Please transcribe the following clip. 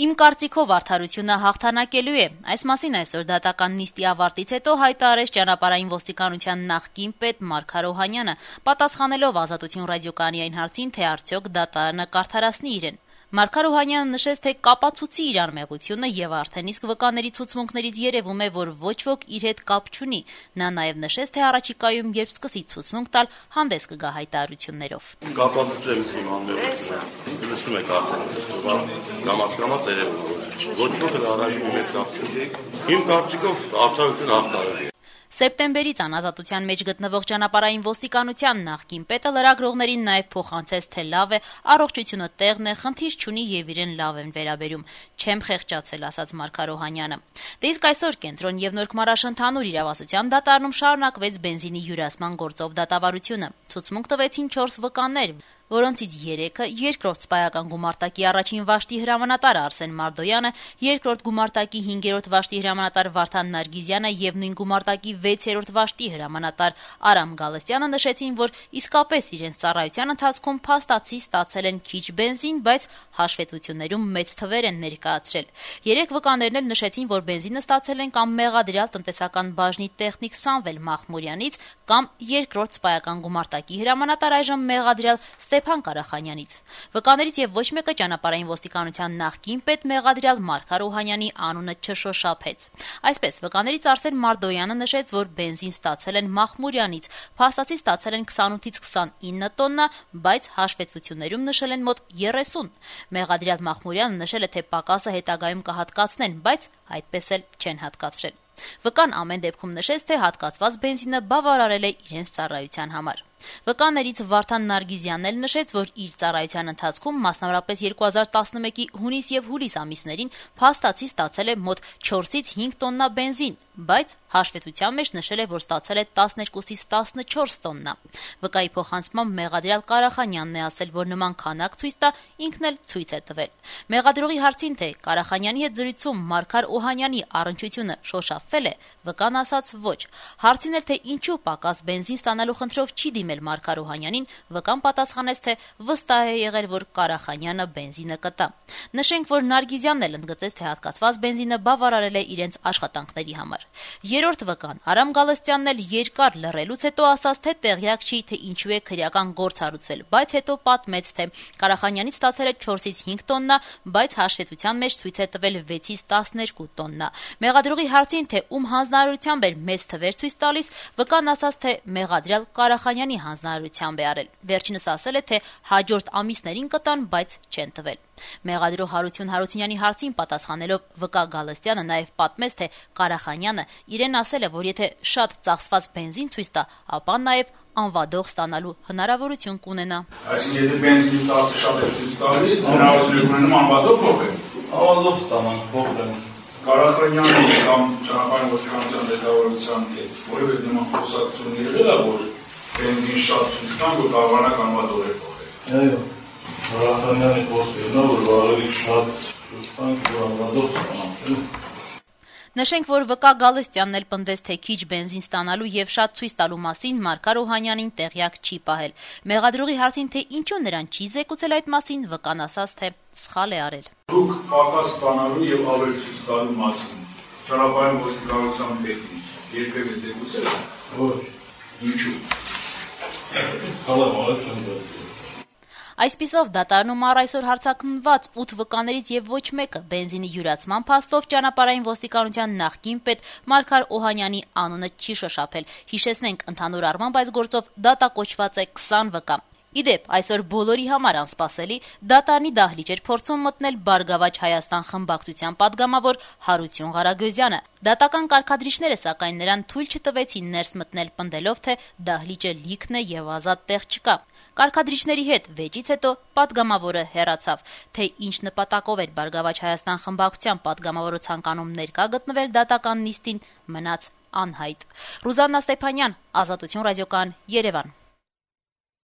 Իմ կարծիքով արդարությունը հաղթանակելու է։ Այս մասին այսօր դատական նիստի ավարտից հետո հայտարարեց ճանապարհային ոստիկանության նախկին պետ Մարգար Օհանյանը, պատասխանելով Ազատություն ռադիոկայանի այն հարցին, թե արդյոք դատարանը կարդարացնի իրեն։ Մարգար Օհանյանը նշեց, թե կապացուցի իր անմեղությունը եւ արդեն իսկ վկաների ցուցմունքներից երևում է, որ ոչ ոք իր հետ կապ չունի։ Նա նաեւ նշեց, թե առաջիկայում երբ սկսի ցուցմունք տալ, հանդես կգա հայտարարություններով։ Կապացուցեմ իմ անմեղությունը։ Լսում եք արդեն, կամաց երևում է։ Ոչ ոք առաջին մի հետ կապ չունի։ Իմ կարծիքով արդարությունը հաղթարել է։ Սեպտեմբերից անազատության մեջ գտնվող ճանապարհային ոստիկանության նախկին պետը լրագրողներին նաև փոխանցեց, թե լավ է, առողջությունը տեղն է, խնդիր չունի եւ իրեն լավ են վերաբերում։ Չեմ խեղճացել, ասաց Մարգար Օհանյանը։ Դե իսկ այսօր կենտրոն եւ Նորքմարաշ ընդհանուր իրավասության դատարանում շարունակվեց բենզինի յուրացման գործով դատավարությունը։ Ցուցմունք տվեցին 4 վկաներ, որոնցից 3-ը երկրորդ սպայական գումարտակի առաջին վաշտի հրամանատար Արսեն Մարդոյանը, երկրորդ գումարտակի 5-րդ վաշտի հրամանատար Վարդան Նարգիզյանը եւ նույն գումարտակի 6-րդ վաշտի հրամանատար Արամ Գալստյանը նշեցին, որ իսկապես իրենց ծառայության ընթացքում փաստացի ստացել են քիչ բենզին, բայց հաշվետվություններում մեծ թվեր են ներկայացրել։ 3 վկաներն էլ նշեցին, որ բենզինը ստացել են կամ մեղադրյալ տնտեսական բաժնի տեխնիկ Սամվել Մախմուրյանից, կամ երկրորդ սպայական գումարտակի հրամանատար այժմ մեղադրյալ Ստեփան Կարախանյանից։ Վկաներից եւ ոչ մեկը ճանապարհային ոստիկանության նախկին պետ մեղադրյալ Մարգար Օհանյանի անունը չշոշափեց։ Այսպես վկաներից Արսեն Մարդոյանը նշեց, որ բենզին ստացել են Մախմուրյանից, փաստացի ստացել են 28-ից 29 տոննա, բայց հաշվետվություններում նշել են մոտ 30։ Մեղադրյալ Մախմուրյանը նշել է, թե պակասը հետագայում կհատկացնեն, բայց այդպես էլ չեն հատկացրել։ Վկան ամեն դեպքում նշեց, թե հատկացված բենզինը բավարարել է իրենց ծառայության համար։ Վկաներից Վարդան Նարգիզյանն էլ նշեց, որ իր ծառայության ընթացքում, մասնավորապես 2011-ի հունիս եւ հուլիս ամիսներին, փաստացի ստացել է մոտ 4-ից 5 տոննա բենզին, բայց հաշվետվության մեջ նշել է, որ ստացել է 12-ից 14 տոննա։ Վկայի փոխանցմամբ մեղադրյալ Կարախանյանն է ասել, որ նման քանակ ցույց տա, ինքն էլ ցույց է տվել։ Մեղադրողի հարցին, թե Կարախանյանի հետ զրույցում Մարգար Օհանյանի առնչությունը շոշափվել է, վկան ասաց ոչ։ Հարցին էլ, թե ինչու պակաս բենզին ստանալու խնդրով չի դիմել Մարգար Օհանյանին, վկան պատասխանեց, թե վստահ է եղել, որ Կարախանյանը բենզինը կտա։ Նշենք, որ Նարգիզյանն էլ ընդգծեց, թե հատկացված բենզինը բավարարել է իրենց աշխատանքների համար։ Երրորդ վկան Արամ Գալստյանն էլ երկար լռելուց հետո ասաց, թե տեղյակ չի, թե ինչու է քրեական գործ հարուցվել, բայց հետո պատմեց, թե Կարախանյանից ստացել է 4-ից 5 տոննա, բայց հաշվետվության մեջ ցույց է տվել 6-ից 12 տոննա։ Մեղադրողի հարցին, թե ում հանձնարարությամբ էր մեծ թվեր ցույց տալիս, վկան ասաց, թե մեղադրյալ Կարախանյանի հանձնարարությամբ է արել։ Վերջինս ասել է, թե հաջորդ ամիսներին կտան, բայց չեն տվել։ Մեղադրող Հարություն Հարությունյանի հարցին պատասխանելով վկա Գալստյանը նաև պատմեց, թե Կարախանյանը իրեն ասել է, որ եթե շատ ծախսված բենզին ցույց տա, ապա նաև անվադող ստանալու հնարավորություն կունենա։ Այսինքն եթե բենզինի ծախսը շատ է ցույց տալիս, հնարավորություն ունենում անվադող փոխել։ Անվադող ստանալ, փոխել։ Կարախանյանի կամ ճանապարհային ոստիկանության ղեկավարության հետ որևէ նման խոսակցություն եղել է, որ բենզին շատ ցույց տան, որ կարողանա անվադող փոխել։ Այո։ Կարախանյանի խոսքերն է, որ ավելի շատ ցույց տան, որ անվադող ստանալ։ Նշենք, որ վկա Գալստյանն էլ պնդեց, թե քիչ բենզին ստանալու եւ շատ ցույց տալու մասին Մարգար Օհանյանին տեղյակ չի պահել։ Մեղադրողի հարցին, թե ինչու նրան չի զեկուցել այդ մասին, վկան ասաց, թե սխալ է արել։ Դուք պակաս ստանալու եւ ավելի ցույց տալու մասին ճանապարհային ոստիկանության պետին երբևէ զեկուցել եք։ Ոչ։ Ինչու։ Այսպիսով դատարանում առ այսօր հարձակմնված 8 վկաներից եւ ոչ մեկը բենզինի յուրացման փաստով ճանապարհային ոստիկանության նախկին պետ Մարգար Օհանյանի անունը չի շոշափել։ Հիշեցնենք, ընդհանուր առմամբ այս գործով դատակոչված է 20 վկա։ Իդեպ, այսօր բոլորի համար անսպասելի դատարանի դահլիճ էր փորձում մտնել Բարգավաճ Հայաստան խմբակցության падգամավոր Հարություն Ղարագոզյանը։ Դատական կարգադրիչները սակայն նրան թույլ չտվեցին ներս մտնել, պնդելով, թե դահլիճը լիքն է եւ ազատ տեղ չկա։ Կարգադրիչների հետ վեճից հետո падգամավորը հեռացավ, թե ինչ նպատակով էր Բարգավաճ Հայաստան խմբակցության падգամավորը ցանկանում ներկա գտնվել դատական նիստին, մնաց անհայտ։ Ռուզաննա Ստեփանյան, Ազատություն ռադիոկայան, Երևան։